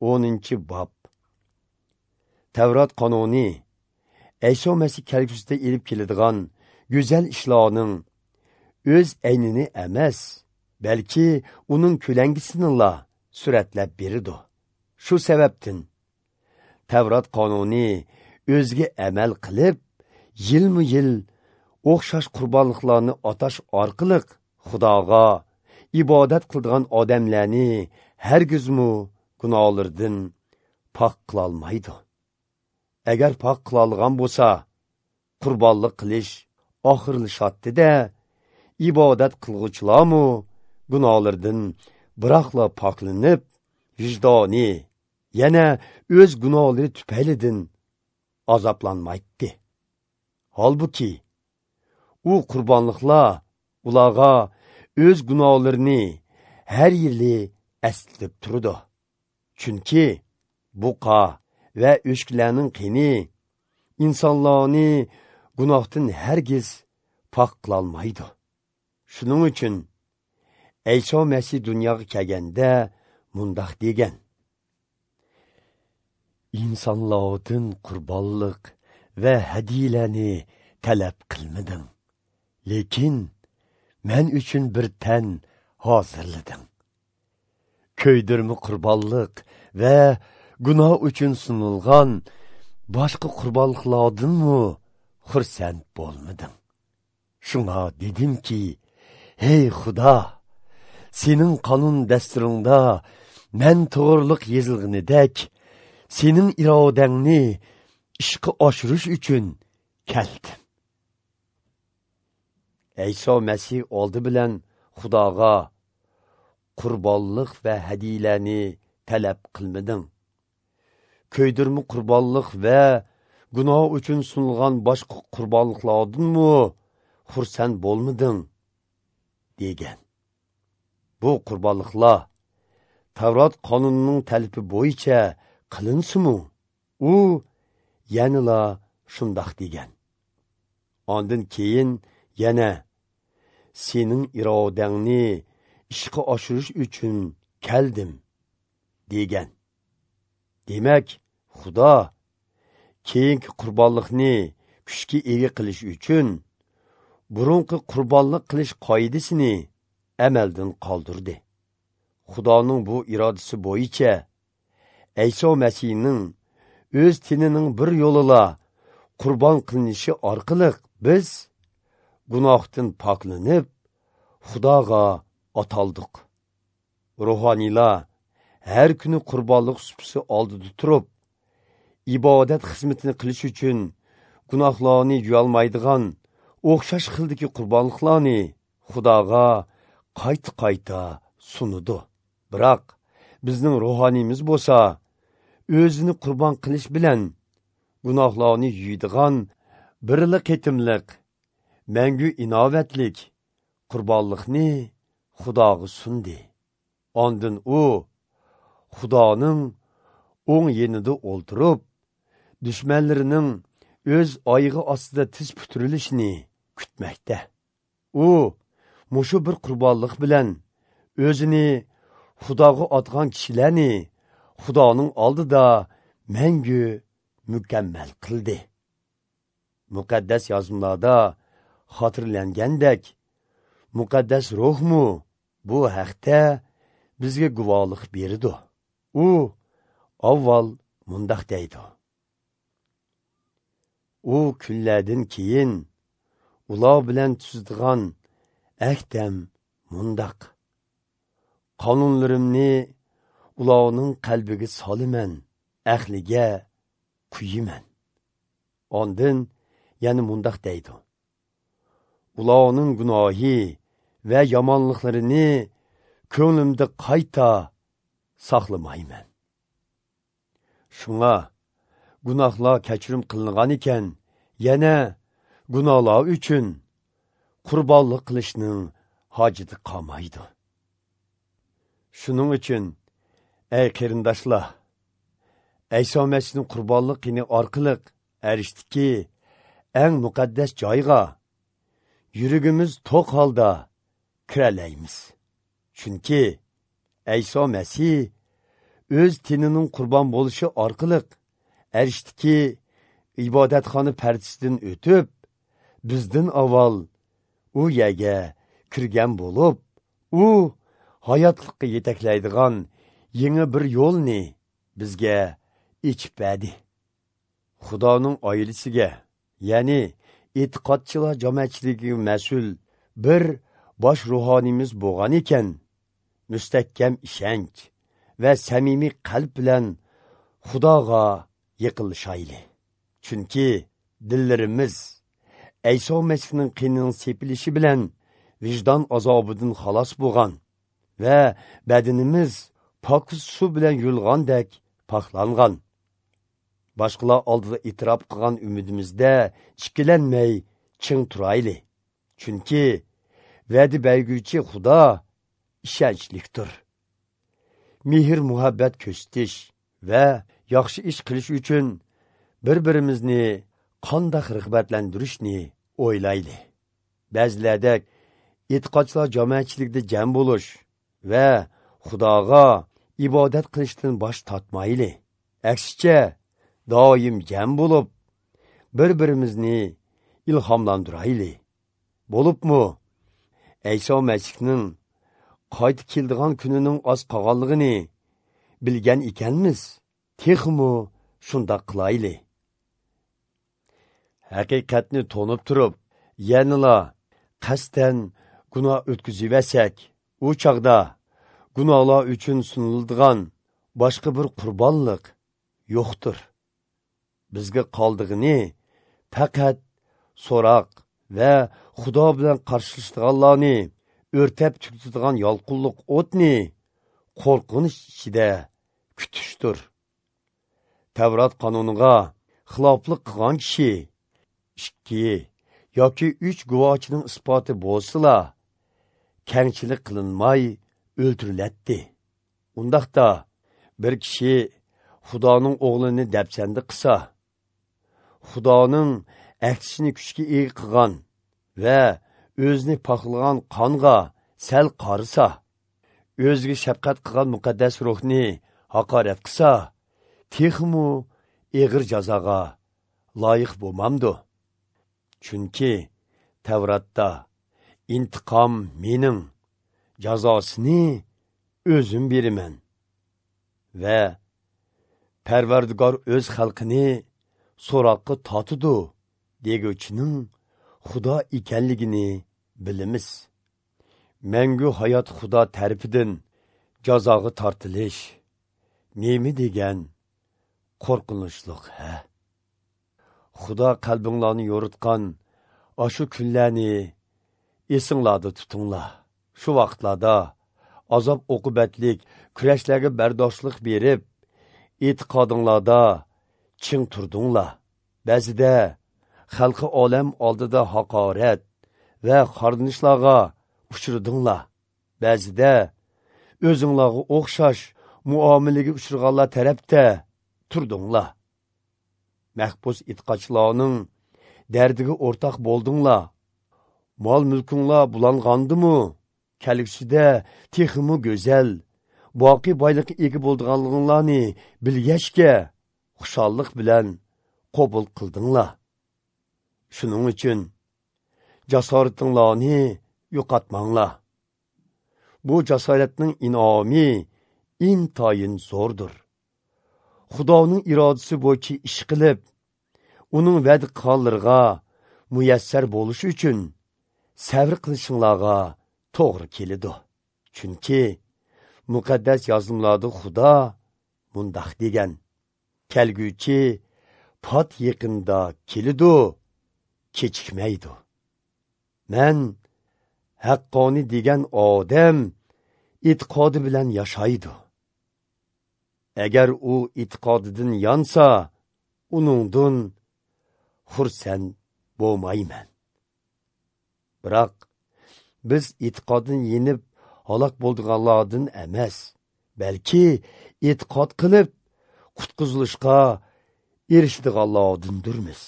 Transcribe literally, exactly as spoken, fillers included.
o'ninchi bob. Tavrat qonuni Ayso Masih kelgusida elib keladigan go'zal ishlarning o'z aynini emas, balki uning ko'langisinila suratlab beradi. Shu sababdan Tavrat qonuni o'ziga amal qilib, yilma-yil o'xshash qurbonliqlarni atash orqali Xudoga ibodat qiladigan odamlarni hargizmu gunohlardan pok qilolmaydi. Agar pok qilolgan bo'lsa, qurbonlik qilish oxirlashatdi-da, ibodat qilg'uvchilarmu gunohlardan biroqla poklanib, vijdoni yana o'z gunohlari tufaylidan azoblanmaydi. Holbuki u qurbonliqlar ularga o'z gunohlarini har yili eslatib turdi. Chunki buqa va o'shklarning qini insonlarni gunohdan hargiz pok qilolmaydi. Shuning uchun Ayso Masih dunyoga kelganda mundoq degan: insonlardan qurbonliq va hadiyalarni talab qilmading, lekin men uchun bir tan hozirlading. Ko'ydirma qurbonliq va gunoh uchun sunilgan boshqa qurbonliqlardanmi xursand bo'lmadim. Shunga dedimki, ey Xudo, sening qonun dasturingda men to'g'riliq yozilganidek, sening irodangni ishga oshirish uchun keldim. Ayso Masih oldi bilan Xudoga qurbonliq va hadiyalarni talab qilmading. Ko'ydirma qurbonliq va gunoh uchun sunilgan boshqa qurbonliqlardanmi xursand bo'lmading degan. Bu qurbonliqlar Tavrat qonunining talabi bo'yicha qilinsinmi? U yanala shundoq degan. Ondan keyin yana sening irodangni ishga oshirish uchun keldim degan. Demak, Xudo keyingi qurbonliqni kuchga ega qilish uchun burunqi qurbonliq qilish qoidasini amaldan qoldirdi. Xudoning bu irodasi bo'yicha Ayso Masihning o'z tinining bir yo'lila qurbon qilinishi orqali biz gunohdan poklanib, Xudoga ataldik. Ruhoniylar har kuni qurbonlik supisi oldida turib, ibodat xizmatini qilish uchun gunohlarni yuyolmaydigan o'xshash xildagi qurbonliqlarni Xudoga qayta-qayta sunadi. Biroq bizning ruhoniyimiz bo'lsa, o'zini qurbon qilish bilan gunohlarni yuydigan birli ketimliq, mangu inovatlik qurbonliqni Xudoga sundi. Ondan u Xudoning o'ng yenida o'ltirib, dushmanlarining o'z oyig'i ostida tiz putirilishini kutmoqda. U mushu bir qurbonliq bilan o'zini Xudoga otgan kishilarni Xudoning oldida mangu mukammal qildi. Muqaddas yozmalarda xotirlangandek, muqaddas ruhmu bu haqda bizga guvohlik berdi. U avval mundoq deydi: u kunlardan keyin ular bilan tuzdigan ahdam mundoq: qonunlarimni ularning qalbiga soliman, ahliga quyiman. Ondan yana mundoq deydi: ularning gunohi va yomonliklarini ko'nglimda qayta saqlamayman. Shunga gunohlar kechirim qilingan ekan, yana gunohlar uchun qurbonlik qilishning hojati qolmaydi. Shuning uchun ey qarindoshlar, Ayso Masihning qurbonliqini orqali arishdiki eng muqaddas joyga yuragimiz to'q holda kiralaymiz. Chunki Ayso Masih o'z tenining qurbon bo'lishi orqali arishdiki ibodatxona pardasidan o'tib, bizdan avval u yerga kirgan bo'lib, u hayotlikqa yetaklaydigan yangi bir yo'lni bizga ochib berdi. Xudoning oilasiga, ya'ni e'tiqodchilar jamoatchiligiga mas'ul bir bosh ruhoniymiz bo'lgan ekan, mustahkam ishonch va samimiy qalb bilan Xudoga yaqinlashayli. Chunki dillarimiz Ayso Masihning qinining sepilishi bilan vijdon azobidan xalos bo'lgan va badanimiz pokiz suv bilan yulg'andek poklangan. Boshqalar oldida e'tirof qilgan umidimizda ikkilanmay ching turayli. Chunki va'da berguvchi Xudo ishonchlikdir. Mehr muhabbat ko'rsatish va yaxshi ish qilish uchun bir-birimizni qanday rag'batlantirishni o'ylayli. Ba'zilardek e'tiqodchilar jamoatchilikda jam bo'lish va Xudoga ibodat qilishdan bosh tortmayli. Aksicha doim jam bo'lib, bir-birimizni ilhomlantirayli. Bo'libmi, Ayso Masihning qaytib keladigan kunining oz qolganligini bilgan ekanmiz, texmi shundoq qilayli. Haqiqatni to'nib turib, yanala qasddan gunoh o'tkaziversak, u chog'da gunohlar uchun suniladigan boshqa bir qurbonlik yo'qdir. Bizga qoldig'ini faqat so'roq va Xudo bilan qarshilashadiganlarni o'rtab tugatadigan yolqinliq o'tni qo'rqinish ichida kutishdir. Tavrat qonuniga xiloflik qilgan kishi ikki yoki uch guvohchining isboti bo'lsa, kengchilik qilinmay o'ldiriladi. Undaqda bir kishi Xudoning o'g'lini dafsanda qilsa, Xudoning ahdisini kuchga ega qilgan va o'zini paqlagan qonga sal qarisa, o'ziga shafqat qilgan muqaddas ruhni haqorat qilsa, texmu eg'ir jazoga loyiq bo'lmamdi. Chunki Tavratda intiqom mening, jazosini o'zim beraman va Parvardigor o'z xalqini so'roqqa tortidi deguvchining Xudo ekanligini bilamiz. Mangu hayot Xudo tarafidan jazoga tortilish nima degan qo'rqinchliq, ha? Xudo qalbinglarni yo'ritgan ashu kunlarni esinglarda tutinglar. Shu vaqtlarda azob oqibatlik kurashlarga bardoshlik berib, e'tiqodinglarda ching turdinglar. Ba'zida xalqi olam oldida haqorat va xorlanishlarga uchradinglar. Ba'zida o'zinglarga o'xshash muomalaga uchraganlar tarafda turdinglar. Mahbus e'tiqodchilarning dardiga o'rtoq bo'ldinglar. Mol mulkinglar bulangandimi, kelgusida texmi go'zal, boqiy boylikqa ega bo'lganliginglarni bilgachga xushallik bilan qabul qildinglar. Shuning uchun jasoratinglarni yo'qotmanglar. Bu jasoratning inomi intayin zo'rdir. Xudoning irodasi bo'yicha ish qilib, uning va'da qilganlariga muyassar bo'lish uchun sabr qilishinglarga to'g'ri keladi. Chunki muqaddas yozmalarda Xudo mundoq degan: kelguvchi pat yaqinda keladi, kechikmaydi. Men haqqoniy degan odam e'tiqodi bilan yashaydi. Agar u e'tiqodidan yonsa, uningdan xursand bo'lmayman. Biroq biz e'tiqoddan yenib halok bo'lganlardan emas, balki e'tiqod qilib qutqizilishga erishadiganlardandirmiz.